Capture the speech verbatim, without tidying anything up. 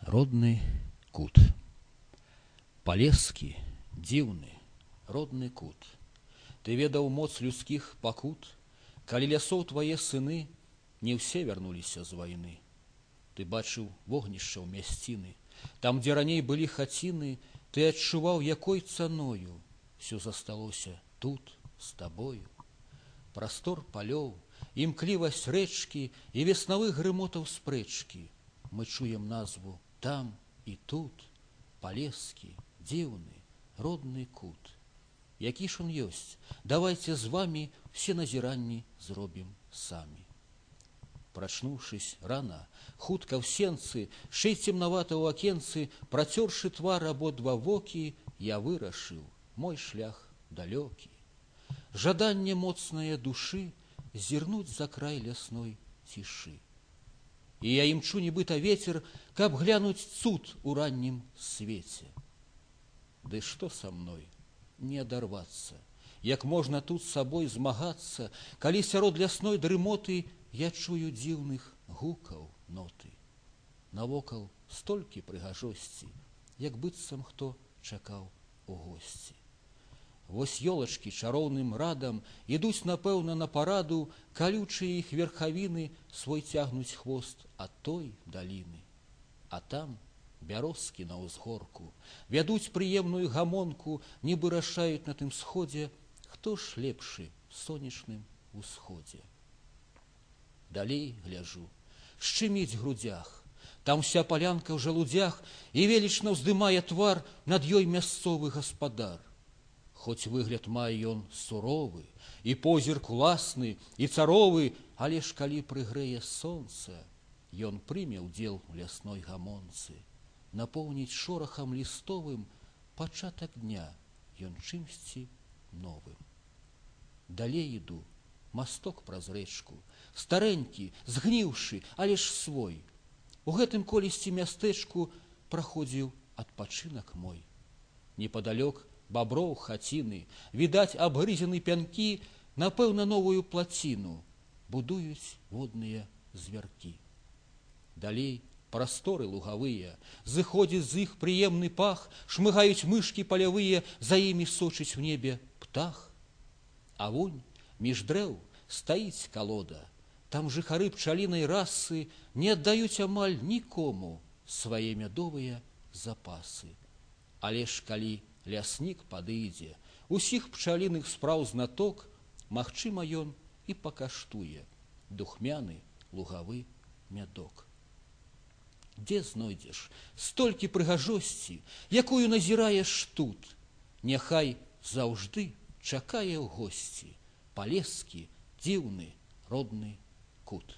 родны кут. Палескі, дзіўны, родны кут. Ты ведаў моц людскіх пакут, калі лясоў твае сыны не ўсе вярнуліся з вайны. Ты бачыў вогнішча ў мясціны, там, дзе раней былі хаціны, ты адчуваў, якой цаною всё засталося тут з табою. Прастор палёў, імклівасць рэчкі і веснавых грымотаў спрэчкі. Мы чуем назву там і тут. Палескі, дзіўны, родны кут. Які ж он ёсць, давайце з вамі все назіранні зробім самі. Прачнуўшись рана, хутка ў сенцы, шэй цемнавата ў акенцы, працёршы твар абодва вокі, я вырашыў мой шлях далёкі. Жаданне моцнае душы зірнуць за край лясной цішы. І я імчу нібыта вецер, каб глянуць цуд у раннім свеце. Ды што са мной не адарвацца, як можна тут з сабой змагацца, калі сярод лясной дрымоты я чую дзіўных гукаў ноты. Навокал столькі прыгажосці, як быццам хто чакаў у госці. Вось ёлачкі чароўным радам ідуць, напэўна, на параду, калючыя іх верхавіны свой цягнуць хвост ад той даліны. А там бярозкі на ўзгорку вядуць прыемную гамонку, нібы рашаюць на тым сходзе, хто ж лепшы в сонечным усходзе. Далей гляжу, шчыміць грудях, там вся палянка ў жалудзях, і велічна ўздымае твар над ёй мясцовы гаспадар. Хоць выгляд мае ён суровы, і позірк уласны, і царовы, але ж калі прыгрэе сонца, ён прыме ўдзел у лясной гамонцы, напоўніць шорахам лістовым пачатак дня ён чымсьці новым. Далей іду, масток праз рэчку, старэнькі, згніўшы, але ж свой. У гэтым колісьці мястэчку праходзіў адпачынак мой. Непадалёк баброў хаціны, відаць абгрызены пянкі, напэўна, новую плаціну будуюць водныя звяркі. Далей прасторы лугавыя, зыходзіць з іх прыемны пах, шмыгаюць мышкі палявыя, за імі сочыць у небе птах. А вунь між дрэў стаіць калода, там жыхары пчалінай расы не аддаюць амаль нікому свае мядовыя запасы. Але ж калі ляснік падыдзе, усіх пчаліных спраў знаток, магчыма, ён і пакаштуе духмяны лугавы мядок. Дзе знойдзеш столькі прыгажосці, якую назіраеш тут? Няхай заўжды чакае ў госці палескі, дзіўны, родны кут.